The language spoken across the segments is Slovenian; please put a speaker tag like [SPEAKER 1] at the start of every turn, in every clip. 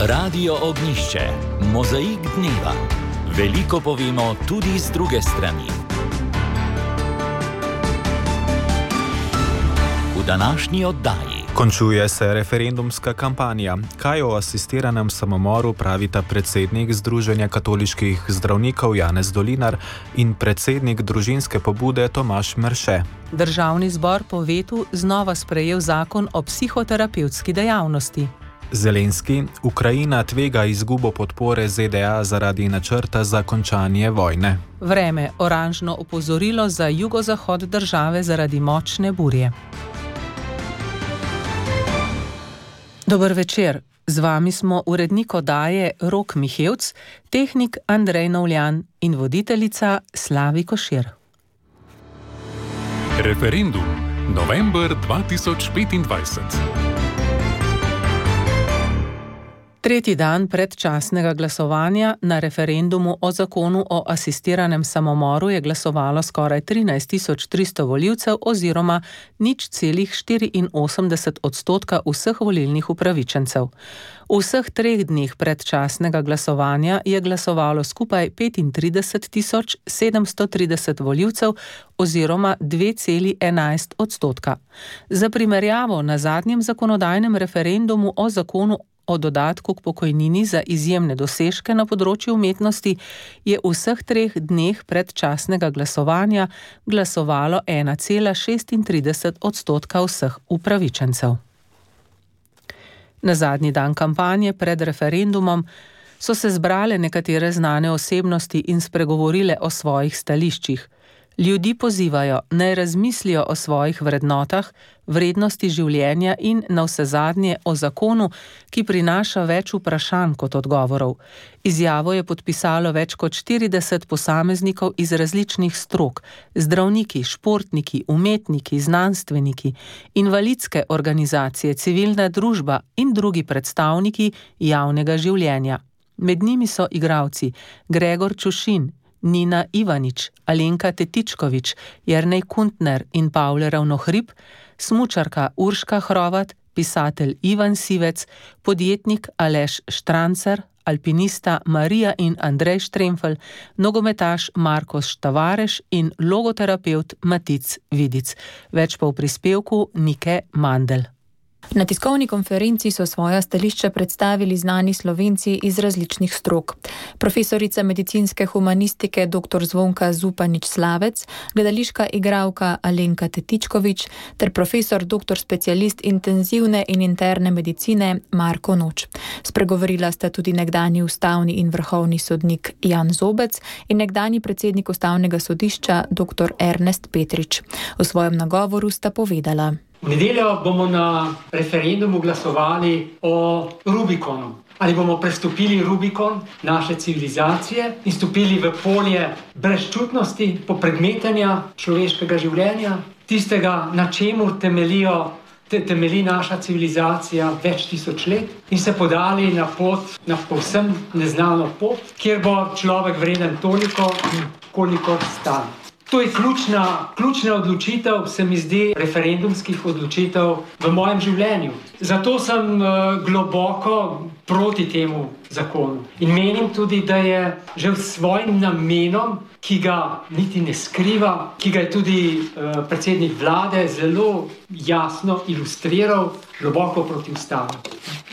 [SPEAKER 1] Radio Ognišče, mozaik dneva. Veliko povemo tudi z druge strani. V današnji oddaji.
[SPEAKER 2] Končuje se referendumska kampanja. Kaj o asistiranem samomoru pravita predsednik Združenja katoliških zdravnikov Janez Dolinar in predsednik družinske pobude Tomaž Merše?
[SPEAKER 3] Državni zbor po vetu znova sprejel zakon o psihoterapevtski dejavnosti.
[SPEAKER 2] Zelenski, Ukrajina tvega izgubo podpore ZDA zaradi načrta za končanje vojne.
[SPEAKER 3] Vreme, oranžno opozorilo za jugozahod države zaradi močne burje. Dober večer, z vami smo urednik oddaje Rok Mihevc, tehnik Andrej Novljan in voditeljica Slavi Košir.
[SPEAKER 4] Referendum, november 2025.
[SPEAKER 3] Tretji dan predčasnega glasovanja na referendumu o zakonu o asistiranem samomoru je glasovalo skoraj 13.300 volivcev oziroma 0,84% vseh volilnih upravičencev. V vseh 3 dneh predčasnega glasovanja je glasovalo skupaj 35.730 volivcev oziroma 2,11%. Za primerjavo, na zadnjem zakonodajnem referendumu o zakonu o dodatku k pokojnini za izjemne dosežke na področju umetnosti je v vseh 3 dneh predčasnega glasovanja glasovalo 1,36% vseh upravičencev. Na zadnji dan kampanje pred referendumom so se zbrale nekatere znane osebnosti in spregovorile o svojih stališčih. Ljudi pozivajo, naj razmislijo o svojih vrednotah, vrednosti življenja in navsezadnje o zakonu, ki prinaša več vprašanj kot odgovorov. Izjavo je podpisalo več kot 40 posameznikov iz različnih strok, zdravniki, športniki, umetniki, znanstveniki, invalidske organizacije, civilna družba in drugi predstavniki javnega življenja. Med njimi so igralci Gregor Čušin, Nina Ivanič, Alenka Tetičkovič, Jernej Kuntner in Pavle Ravnohrib, smučarka Urška Hrovat, pisatelj Ivan Sivec, podjetnik Aleš Štrancer, alpinista Marija in Andrej Štremfelj, nogometaš Markos Tavares in logoterapevt Matic Vidic. Več pa v prispevku Nike Mandl.
[SPEAKER 5] Na tiskovni konferenci so svoja stališča predstavili znani Slovenci iz različnih strok. Profesorica medicinske humanistike dr. Zvonka Zupanič-Slavec, gledališka igralka Alenka Tetičkovič ter profesor dr. specialist intenzivne in interne medicine Marko Noč. Spregovorila sta tudi nekdanji ustavni in vrhovni sodnik Jan Zobec in nekdanji predsednik ustavnega sodišča dr. Ernest Petrič. V svojem nagovoru sta povedala:
[SPEAKER 6] V nedeljo bomo na referendumu glasovali o Rubikonu. Ali bomo prestopili Rubikon naše civilizacije in stopili v polje brezčutnosti, popredmetenja človeškega življenja, tistega, na čemur temelji naša civilizacija več tisoč let, in se podali na pot, na povsem neznano pot, kjer bo človek vreden toliko, kolikor stane. To je ključna odločitev, se mi zdi, referendumskih odločitev v mojem življenju. Zato sem globoko proti temu zakonu. In menim tudi, da je že s svojim namenom, ki ga niti ne skriva, ki ga je tudi predsednik vlade zelo jasno ilustriral, globoko protiustaven.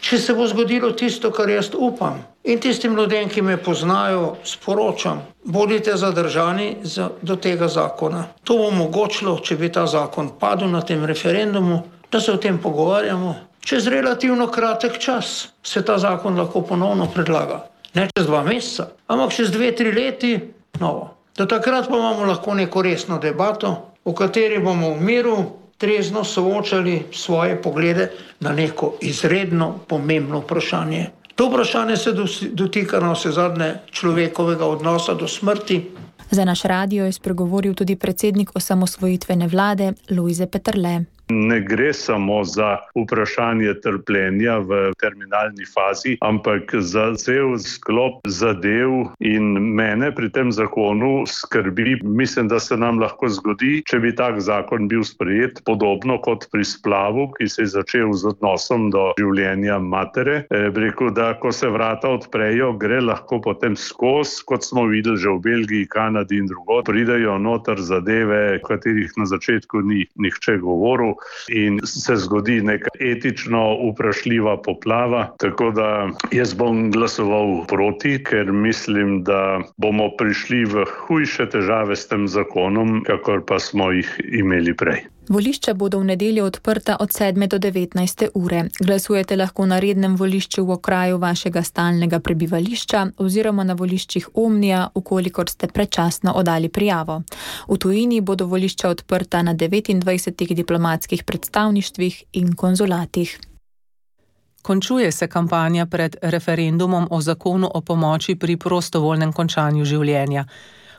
[SPEAKER 7] Če se bo zgodilo tisto, kar jaz upam, in tistim ljudem, ki me poznajo, sporočam, bodite zadržani do tega zakona. To bo omogočilo, če bi ta zakon padel na tem referendumu, da se o tem pogovarjamo. Čez relativno kratek čas se ta zakon lahko ponovno predlaga. Ne čez 2 meseca, ampak čez 2-3 leti novo. Do takrat pa imamo lahko neko resno debato, v kateri bomo v miru trezno soočali svoje poglede na neko izredno pomembno vprašanje. To vprašanje se dotika na vsezadnje človekovega odnosa do smrti.
[SPEAKER 5] Za naš radio je spregovoril tudi predsednik osamosvojitvene vlade Lojze Peterle.
[SPEAKER 8] Ne gre samo za vprašanje trpljenja v terminalni fazi, ampak za cel sklop zadev in mene pri tem zakonu skrbi. Mislim, da se nam lahko zgodi, če bi tak zakon bil sprejet, podobno kot pri splavu, ki se je začel z odnosom do življenja matere. Rekel, da ko se vrata odprejo, gre lahko potem skozi, kot smo videli že v Belgiji, Kanadi in drugod, pridejo noter zadeve, o katerih na začetku ni nihče govoril in se zgodi neka etično vprašljiva poplava. Tako da jaz bom glasoval proti, ker mislim, da bomo prišli v hujše težave s tem zakonom, kakor pa smo jih imeli prej.
[SPEAKER 5] Volišča bodo v nedeljo odprta od 7. do 19. ure. Glasujete lahko na rednem volišču v okraju vašega stalnega prebivališča oziroma na voliščih Omnija, ukolikor ste predčasno oddali prijavo. V tujini bodo volišča odprta na 29 diplomatskih predstavništvih in konzulatih.
[SPEAKER 3] Končuje se kampanja pred referendumom o zakonu o pomoči pri prostovoljnem končanju življenja.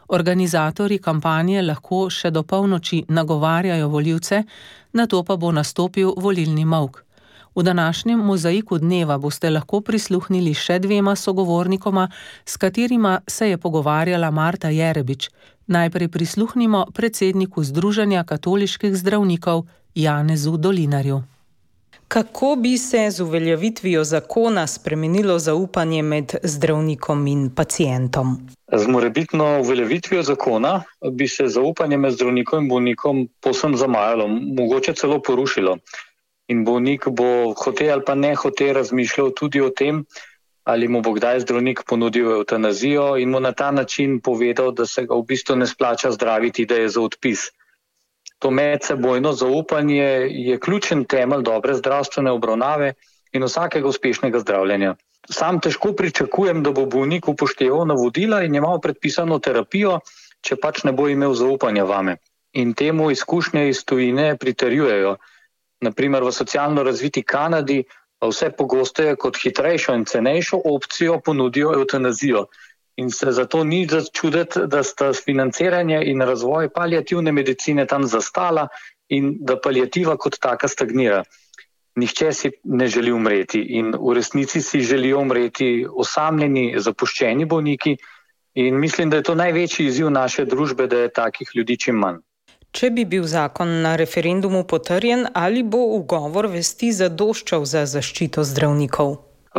[SPEAKER 3] Organizatorji kampanje lahko še do polnoči nagovarjajo volivce, nato pa bo nastopil volilni molk. V današnjem mozaiku dneva boste lahko prisluhnili še dvema sogovornikoma, s katerima se je pogovarjala Marta Jerebič. Najprej prisluhnimo predsedniku Združenja katoliških zdravnikov Janezu Dolinarju.
[SPEAKER 9] Kako bi se z uveljavitvijo zakona spremenilo zaupanje med zdravnikom in pacientom?
[SPEAKER 10] Z morebitno uveljavitvijo zakona bi se zaupanje med zdravnikom in bolnikom povsem zamajalo, mogoče celo porušilo. In bolnik bo hote ali pa ne hote razmišljal tudi o tem, ali mu bo kdaj zdravnik ponudil evtanazijo in mu na ta način povedal, da se ga v bistvu ne splača zdraviti, da je za odpis. To medsebojno zaupanje je ključen temelj dobre zdravstvene obravnave in vsakega uspešnega zdravljenja. Sam težko pričakujem, da bo bolnik upošteval navodila in imel predpisano terapijo, če pač ne bo imel zaupanja vame. In temu izkušnje iz tujine pritrjujejo. Naprimer v socialno razviti Kanadi vse pogosteje kot hitrejšo in cenejšo opcijo ponudijo evtanazijo. In se zato ni začuditi, da sta financiranje in razvoj paliativne medicine tam zastala in da paliativa kot taka stagnira. Nihče si ne želi umreti in v resnici si želijo umreti osamljeni, zapuščeni bolniki in mislim, da je to največji izziv naše družbe, da je takih ljudi čim manj.
[SPEAKER 9] Če bi bil zakon na referendumu potrjen, ali bo ugovor vesti zadoščal za zaščito zdravnikov?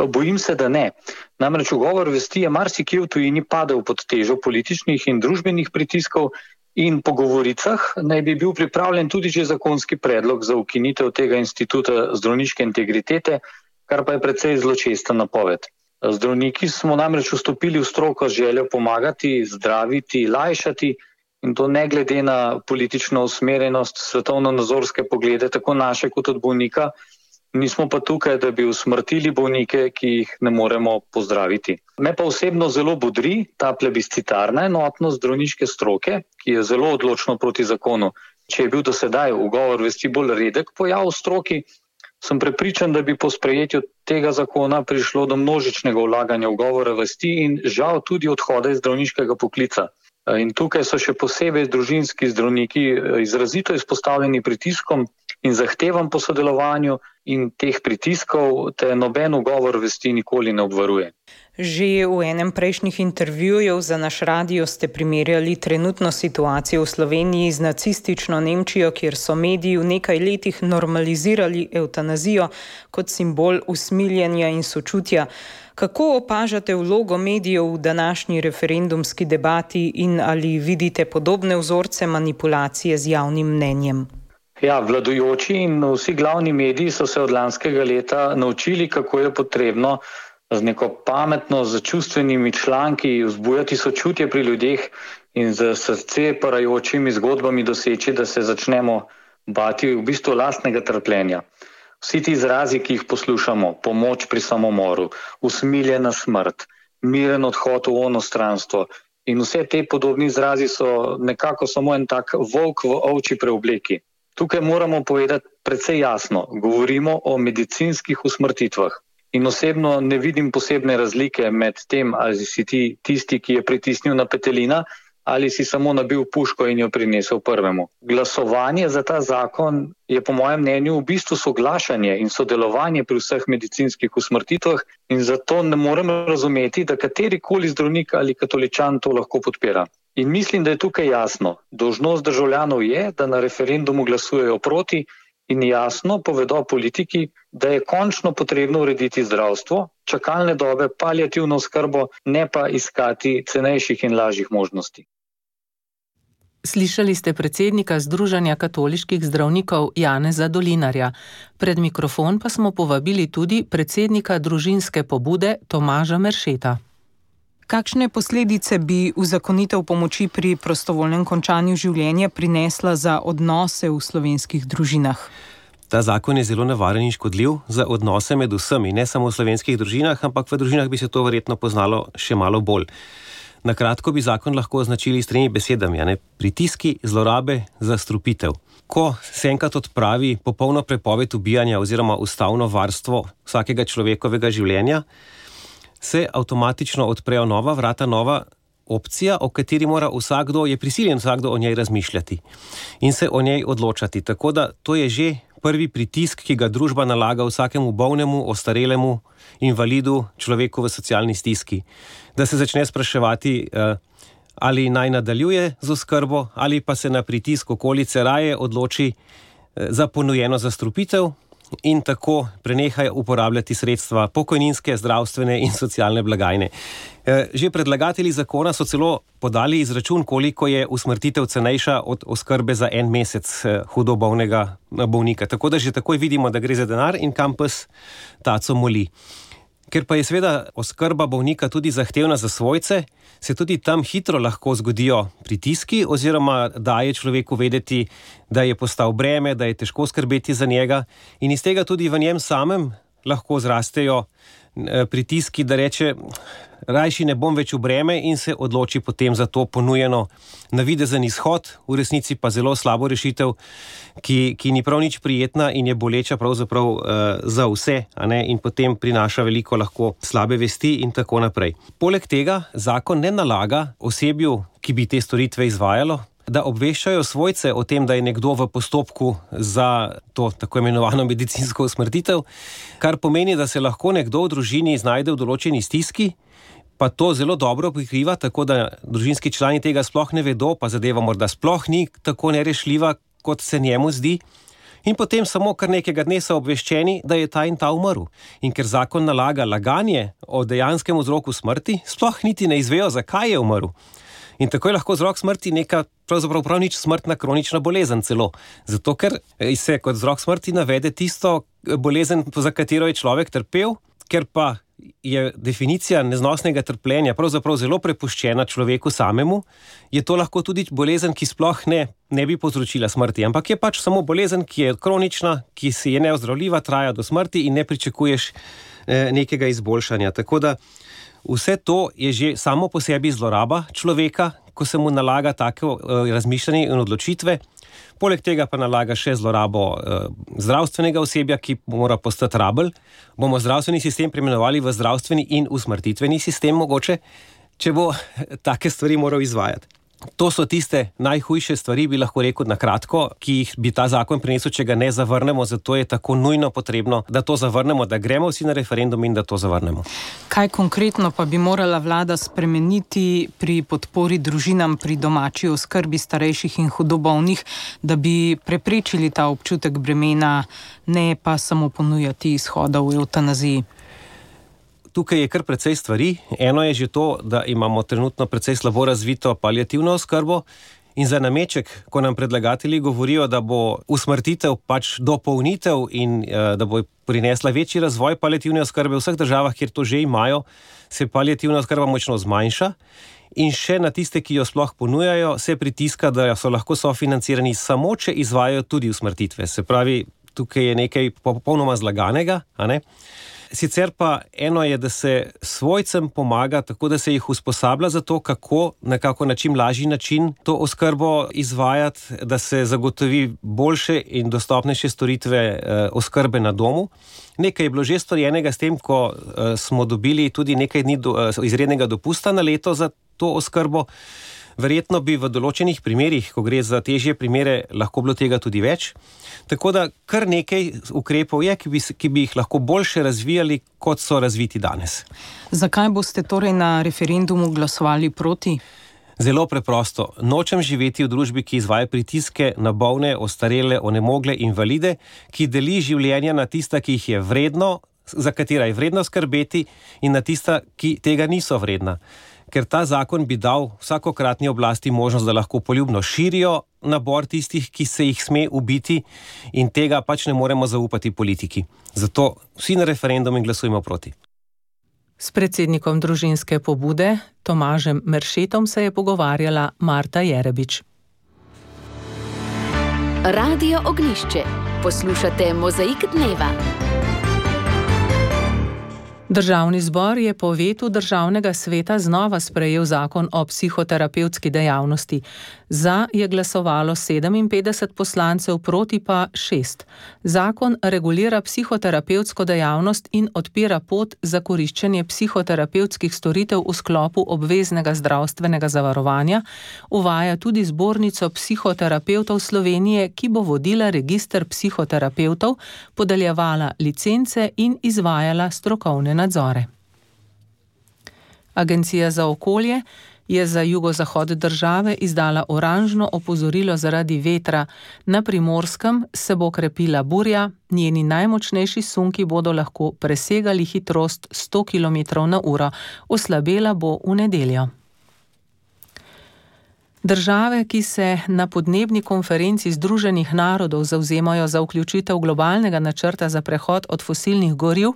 [SPEAKER 10] Bojim se, da ne. Namreč ugovor vesti je marsikje v tujini padel pod težo političnih in družbenih pritiskov in po govoricah naj bi bil pripravljen tudi že zakonski predlog za ukinitev tega instituta zdravniške integritete, kar pa je precej zločesta napoved. Zdravniki smo namreč vstopili v stroko z željo pomagati, zdraviti, lajšati in to ne glede na politično usmerjenost, svetovno-nazorske poglede, tako naše kot od bolnika. Nismo pa tukaj, da bi usmrtili bolnike, ki jih ne moremo pozdraviti. Me pa osebno zelo bodri ta plebiscitarna enotnost zdravniške stroke, ki je zelo odločno proti zakonu. Če je bil do sedaj ugovor vesti bolj redek pojav v stroki, sem prepričan, da bi po sprejetju tega zakona prišlo do množičnega vlaganja ugovora vesti in žal tudi odhoda iz zdravniškega poklica. In tukaj so še posebej družinski zdravniki izrazito izpostavljeni pritiskom in zahtevam po sodelovanju in teh pritiskov te noben ugovor vesti nikoli ne obvaruje.
[SPEAKER 9] Že v enem prejšnjih intervjujev za naš radio ste primerjali trenutno situacijo v Sloveniji z nacistično Nemčijo, kjer so mediji v nekaj letih normalizirali evtanazijo kot simbol usmiljenja in sočutja. Kako opažate vlogo medijev v današnji referendumski debati in ali vidite podobne vzorce manipulacije z javnim mnenjem?
[SPEAKER 10] Ja, vladajoči in vsi glavni mediji so se od lanskega leta naučili, kako je potrebno z neko pametno, z čustvenimi članki vzbujati sočutje pri ljudeh in z srce parajočimi zgodbami doseči, da se začnemo bati v bistvu lastnega trpljenja. Vsi ti izrazi, ki jih poslušamo, pomoč pri samomoru, usmiljena smrt, miren odhod v onostranstvo in vse te podobni izrazi so nekako samo en tak volk v ovči preobleki. Tukaj moramo povedati precej jasno, govorimo o medicinskih usmrtitvah in osebno ne vidim posebne razlike med tem, ali si ti tisti, ki je pritisnil na petelina ali si samo nabil puško in jo prinesel prvemu. Glasovanje za ta zakon je po mojem mnenju v bistvu soglašanje in sodelovanje pri vseh medicinskih usmrtitvah in zato ne morem razumeti, da katerikoli zdravnik ali katoličan to lahko podpira. In mislim, da je tukaj jasno. Dolžnost državljanov je, da na referendumu glasujejo proti in jasno povedo politiki, da je končno potrebno urediti zdravstvo, čakalne dobe, paliativno oskrbo, ne pa iskati cenejših in lažjih možnosti.
[SPEAKER 3] Slišali ste predsednika Združenja katoliških zdravnikov Janeza Dolinarja. Pred mikrofon pa smo povabili tudi predsednika družinske pobude Tomaža Meršeta.
[SPEAKER 9] Kakšne posledice bi uzakonitev pomoči pri prostovoljnem končanju življenja prinesla za odnose v slovenskih družinah?
[SPEAKER 11] Ta zakon je zelo nevaren in škodljiv za odnose med vsemi, ne samo v slovenskih družinah, ampak v družinah bi se to verjetno poznalo še malo bolj. Na kratko bi zakon lahko označili s 3 besedami, pritiski, zlorabe, zastrupitev. Ko se enkrat odpravi popolno prepoved ubijanja oziroma ustavno varstvo vsakega človekovega življenja, se avtomatično odprejo nova vrata, nova opcija, o kateri mora je prisiljen vsakdo o njej razmišljati in se o njej odločati. Tako da to je že prvi pritisk, ki ga družba nalaga vsakemu bolnemu, ostarelemu, invalidu, človeku v socialni stiski. Da se začne spraševati, ali naj nadaljuje z oskrbo, ali pa se na pritisk okolice raje odloči za ponujeno zastrupitev in tako prenehajo uporabljati sredstva pokojninske, zdravstvene in socialne blagajne. Že predlagatelji zakona so celo podali izračun, koliko je usmrtitev cenejša od oskrbe za 1 mesec hudo bolnega bolnika. Tako da že takoj vidimo, da gre za denar in kam pes taco moli. Ker pa je seveda oskrba bolnika tudi zahtevna za svojce, se tudi tam hitro lahko zgodijo pritiski oziroma daje človeku vedeti, da je postal breme, da je težko skrbeti za njega in iz tega tudi v njem samem lahko zrastejo pritiski, da reče, rajši ne bom več v breme in se odloči potem za to ponujeno navidezen izhod, v resnici pa zelo slabo rešitev, ki ni prav nič prijetna in je boleča pravzaprav za vse, in potem prinaša veliko lahko slabe vesti in tako naprej. Poleg tega zakon ne nalaga osebju, ki bi te storitve izvajalo, da obveščajo svojce o tem, da je nekdo v postopku za to tako imenovano medicinsko usmrtitev, kar pomeni, da se lahko nekdo v družini znajde v določeni stiski, pa to zelo dobro prikriva, tako da družinski člani tega sploh ne vedo, pa zadeva morda sploh ni tako nerešljiva, kot se njemu zdi. In potem samo kar nekega dne so obveščeni, da je ta in ta umrl. In ker zakon nalaga laganje o dejanskem vzroku smrti, sploh niti ne izvejo, zakaj je umrl. In tako je lahko vzrok smrti neka pravzaprav prav nič smrtna kronična bolezen celo. Zato, ker se kot vzrok smrti navede tisto bolezen, za katero je človek trpel, ker pa je definicija neznosnega trpljenja pravzaprav zelo prepuščena človeku samemu, je to lahko tudi bolezen, ki sploh ne bi povzročila smrti, ampak je pač samo bolezen, ki je kronična, ki si je neozdravljiva, traja do smrti in ne pričakuješ nekega izboljšanja. Tako da vse to je že samo po sebi zloraba človeka, ko se mu nalaga tako razmišljanje in odločitve. Poleg tega pa nalaga še zlorabo zdravstvenega osebja, ki mora postati rabelj. Bomo zdravstveni sistem preimenovali v zdravstveni in usmrtitveni sistem mogoče, če bo take stvari moral izvajati. To so tiste najhujše stvari, bi lahko rekel na kratko, ki jih bi ta zakon prinesel, če ga ne zavrnemo, zato je tako nujno potrebno, da to zavrnemo, da gremo vsi na referendum in da to zavrnemo.
[SPEAKER 9] Kaj konkretno pa bi morala vlada spremeniti pri podpori družinam pri domači oskrbi starejših in hudo bolnih, da bi preprečili ta občutek bremena, ne pa samo ponujati izhoda v evtanaziji?
[SPEAKER 11] Tukaj je kar precej stvari. Eno je že to, da imamo trenutno precej slabo razvito paliativno oskrbo in za nameček, ko nam predlagatelji govorijo, da bo usmrtitev pač dopolnitev in da bo prinesla večji razvoj paliativne oskrbe v vseh državah, kjer to že imajo, se paliativna oskrba močno zmanjša in še na tiste, ki jo sploh ponujajo, se pritiska, da so lahko sofinancirani samo, če izvajajo tudi usmrtitve. Se pravi, tukaj je nekaj popolnoma zlaganega, Sicer pa eno je, da se svojcem pomaga, tako da se jih usposablja za to, kako nekako na čim lažji način to oskrbo izvajati, da se zagotovi boljše in dostopnejše storitve oskrbe na domu. Nekaj je bilo že storjenega s tem, ko smo dobili tudi nekaj dni izrednega dopusta na leto za to oskrbo. Verjetno bi v določenih primerih, ko gre za težje primere, lahko bilo tega tudi več. Tako da kar nekaj ukrepov je, ki bi jih lahko boljše razvijali, kot so razviti danes.
[SPEAKER 9] Zakaj boste torej na referendumu glasovali proti?
[SPEAKER 11] Zelo preprosto. Nočem živeti v družbi, ki izvaja pritiske na bolne, ostarele, onemogle, invalide, ki deli življenja na tista, ki jih je vredno, za katera je vredno skrbeti, in na tista, ki tega niso vredna. Ker ta zakon bi dal vsakokratni oblasti možnost, da lahko poljubno širijo nabor tistih, ki se jih sme ubiti, in tega pač ne moremo zaupati politiki. Zato vsi na referendum in glasujemo proti.
[SPEAKER 3] S predsednikom družinske pobude Tomažem Meršetom se je pogovarjala Marta Jerebič.
[SPEAKER 12] Radio Ognjišče. Poslušate Mozaik dneva.
[SPEAKER 3] Državni zbor je po vetu Državnega sveta znova sprejel zakon o psihoterapevtski dejavnosti. Za je glasovalo 57 poslancev, proti pa 6. Zakon regulira psihoterapevtsko dejavnost in odpira pot za koriščenje psihoterapevtskih storitev v sklopu obveznega zdravstvenega zavarovanja, uvaja tudi zbornico psihoterapevtov Slovenije, ki bo vodila register psihoterapevtov, podeljevala licence in izvajala strokovne nadzore. Agencija za okolje je za jugozahod države izdala oranžno opozorilo zaradi vetra. Na Primorskem se bo krepila burja, njeni najmočnejši sunki bodo lahko presegali hitrost 100 km/h, oslabela bo v nedeljo. Države, ki se na podnebni konferenci Združenih narodov zavzemajo za vključitev globalnega načrta za prehod od fosilnih goriv,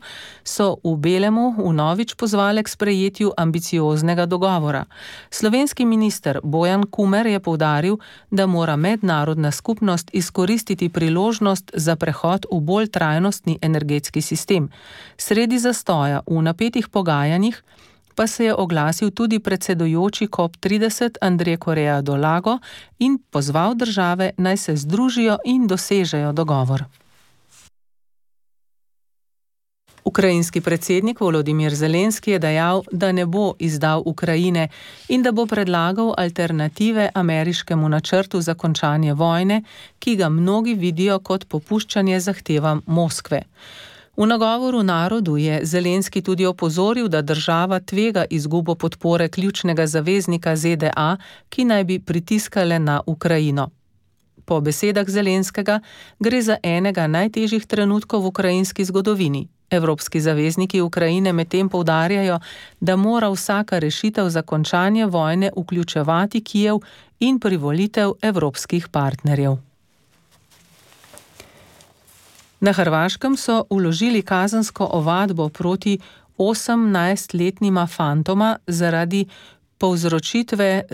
[SPEAKER 3] so v Belemu vnovič pozvale k sprejetju ambicioznega dogovora. Slovenski minister Bojan Kumer je poudaril, da mora mednarodna skupnost izkoristiti priložnost za prehod v bolj trajnostni energetski sistem. Sredi zastoja v napetih pogajanjih pa se je oglasil tudi predsedujoči COP30 Andrej Korea do Lago in pozval države, naj se združijo in dosežejo dogovor. Ukrajinski predsednik Volodimir Zelenski je dejal, da ne bo izdal Ukrajine in da bo predlagal alternative ameriškemu načrtu za končanje vojne, ki ga mnogi vidijo kot popuščanje zahtevam Moskve. V nagovoru narodu je Zelenski tudi opozoril, da država tvega izgubo podpore ključnega zaveznika ZDA, ki naj bi pritiskale na Ukrajino. Po besedah Zelenskega gre za enega najtežjih trenutkov v ukrajinski zgodovini. Evropski zavezniki Ukrajine medtem poudarjajo, da mora vsaka rešitev za končanje vojne vključevati Kijev in privolitev evropskih partnerjev. Na Hrvaškem so vložili kazensko ovadbo proti 18-letnima fantoma zaradi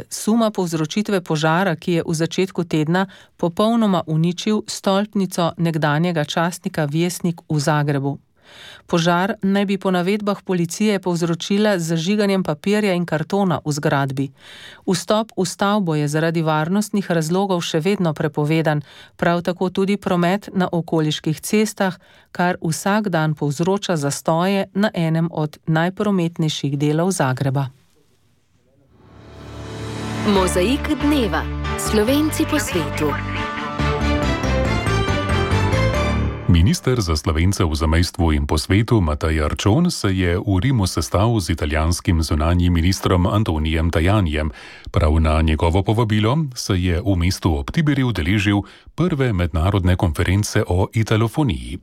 [SPEAKER 3] suma povzročitve požara, ki je v začetku tedna popolnoma uničil stolpnico nekdanjega častnika Vjesnik v Zagrebu. Požar naj bi po navedbah policije povzročila z zažiganjem papirja in kartona v zgradbi. Vstop v stavbo je zaradi varnostnih razlogov še vedno prepovedan, prav tako tudi promet na okoliških cestah, kar vsak dan povzroča zastoje na enem od najprometnejših delov Zagreba.
[SPEAKER 12] Mozaik dneva. Slovenci po svetu.
[SPEAKER 4] Minister za Slovence v zamejstvu in po svetu Matej Arčon se je v Rimu sestal z italijanskim zunanjim ministrom Antonijem Tajanijem. Prav na njegovo povabilo se je v mestu ob Tiberi udeležil prve mednarodne konference o italofoniji.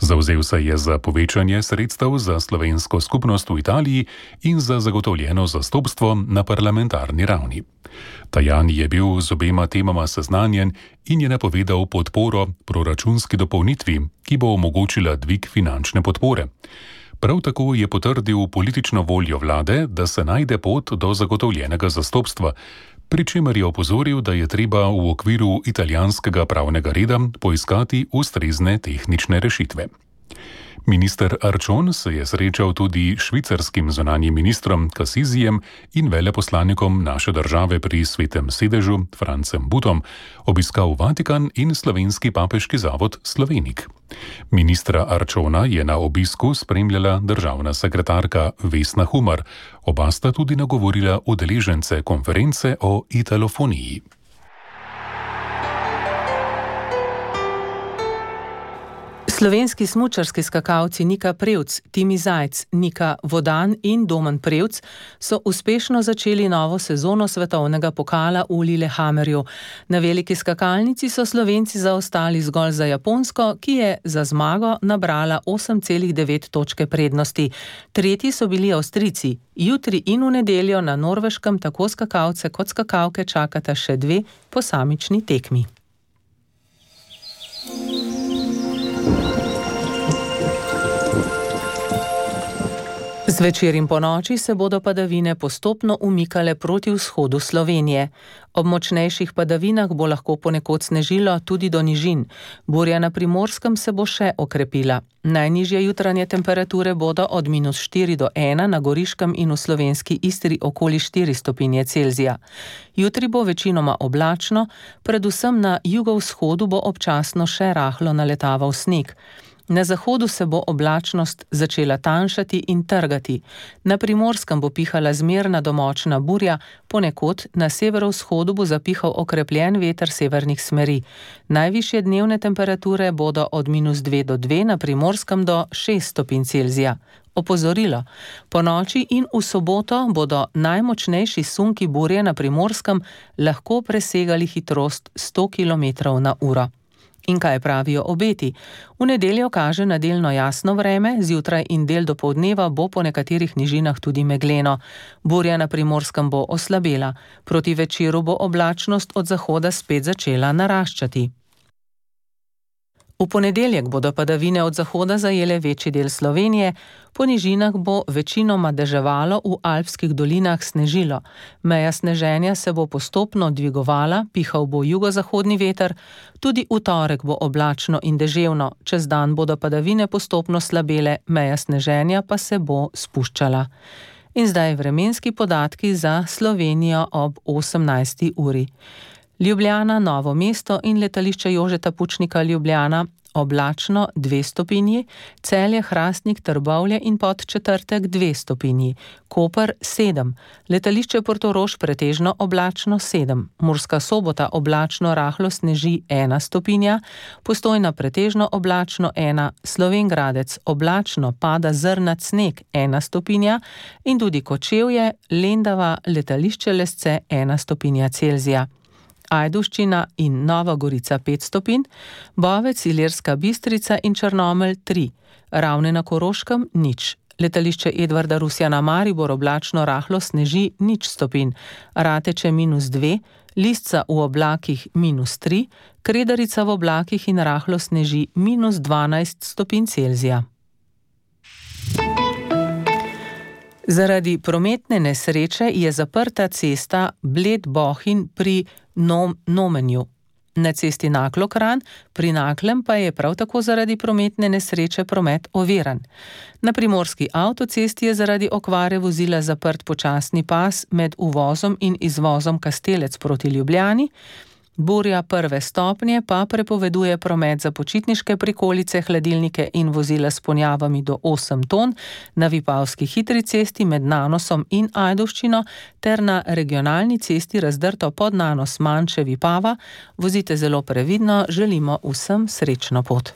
[SPEAKER 4] Zavzel se je za povečanje sredstev za slovensko skupnost v Italiji in za zagotovljeno zastopstvo na parlamentarni ravni. Tajani je bil z obema temama seznanjen in je napovedal podporo proračunski dopolnitvi, ki bo omogočila dvig finančne podpore. Prav tako je potrdil politično voljo vlade, da se najde pot do zagotovljenega zastopstva, pri čemer je opozoril, da je treba v okviru italijanskega pravnega reda poiskati ustrezne tehnične rešitve. Minister Arčon se je srečal tudi s švicarskim zunanjim ministrom Kasizijem in veleposlanikom naše države pri Svetem sedežu Francem Butom, obiskal Vatikan in Slovenski papeški zavod Slovenik. Ministra Arčona je na obisku spremljala državna sekretarka Vesna Humar. Oba sta tudi nagovorila udeležence konference o italofoniji.
[SPEAKER 3] Slovenski smučarski skakalci Nika Prevc, Timi Zajc, Nika Vodan in Domen Prevc so uspešno začeli novo sezono svetovnega pokala v Lillehammerju. Na veliki skakalnici so Slovenci zaostali zgolj za Japonsko, ki je za zmago nabrala 8,9 točke prednosti. Tretji so bili Avstrijci. Jutri in v nedeljo na Norveškem tako skakalce kot skakalke čakata še 2 posamični tekmi. Zvečer in ponoči se bodo padavine postopno umikale proti vzhodu Slovenije. Ob močnejših padavinah bo lahko ponekod snežilo tudi do nižin. Burja na Primorskem se bo še okrepila. Najnižje jutranje temperature bodo od -4 do 1 na Goriškem in v slovenski Istri okoli 4 stopinje Celzija. Jutri bo večinoma oblačno, predvsem na jugovzhodu bo občasno še rahlo naletaval sneg. Na zahodu se bo oblačnost začela tanjšati in trgati. Na Primorskem bo pihala zmerna do močna burja, ponekod na severovzhodu bo zapihal okrepljen veter severnih smeri. Najvišje dnevne temperature bodo od -2 do 2, na Primorskem do 6 stopinj Celzija. Opozorilo. Po noči in v soboto bodo najmočnejši sunki burje na Primorskem lahko presegali hitrost 100 km/h. In kaj pravijo obeti? V nedeljo kaže na delno jasno vreme, zjutraj in del dopoldneva bo po nekaterih nižinah tudi megleno. Burja na Primorskem bo oslabela. Proti večeru bo oblačnost od zahoda spet začela naraščati. V ponedeljek bodo padavine od zahoda zajele večji del Slovenije, po nižinah bo večinoma deževalo, v alpskih dolinah snežilo. Meja sneženja se bo postopno dvigovala, pihal bo jugozahodni veter, tudi v torek bo oblačno in deževno, čez dan bodo padavine postopno slabele, meja sneženja pa se bo spuščala. In zdaj vremenski podatki za Slovenijo ob 18. uri. Ljubljana, Novo mesto in letališče Jožeta Pučnika Ljubljana oblačno 2 stopinji, Celje, Hrastnik, Trbovlje in Podčetrtek 2 stopinji, Koper 7, letališče Portorož pretežno oblačno 7, Murska Sobota oblačno rahlo sneži 1 stopinja, Postojna pretežno oblačno 1, Slovenj Gradec oblačno pada zrnat sneg 1 stopinja in tudi Kočevje, Lendava, letališče Lesce 1 stopinja Celzija. Ajdovščina in Nova Gorica 5 stopinj, Bovec, Ilirska Bistrica in Črnomelj 3, Ravne na Koroškem 0, letališče Edvarda Rusjana Maribor oblačno rahlo sneži 0 stopinj, Rateče -2, Lisca v oblakih -3, Kredarica v oblakih in rahlo sneži -12 stopinj Celzija. Zaradi prometne nesreče je zaprta cesta Bled-Bohinj pri Nomenju. Na cesti Naklo-Kranj pri Naklem pa je prav tako zaradi prometne nesreče promet oviran. Na primorski avtocesti je zaradi okvare vozila zaprt počasni pas med uvozom in izvozom Kastelec proti Ljubljani. Burja 1. stopnje pa prepoveduje promet za počitniške prikolice, hladilnike in vozila s ponjavami do 8 ton na Vipavski hitri cesti med Nanosom in Ajdovščino ter na regionalni cesti razdrto pod Nanos Manče Vipava. Vozite zelo previdno, želimo vsem srečno pot.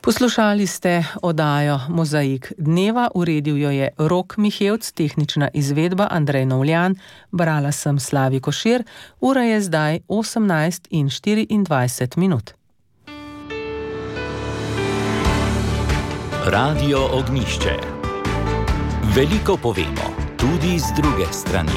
[SPEAKER 3] Poslušali ste oddajo Mozaik dneva, uredil jo je Rok Mihevc, tehnična izvedba Andrej Novljan, brala sem Slavi Košir, ura je zdaj 18:24.
[SPEAKER 1] Radio Ognjišče. Veliko povemo, tudi z druge strani.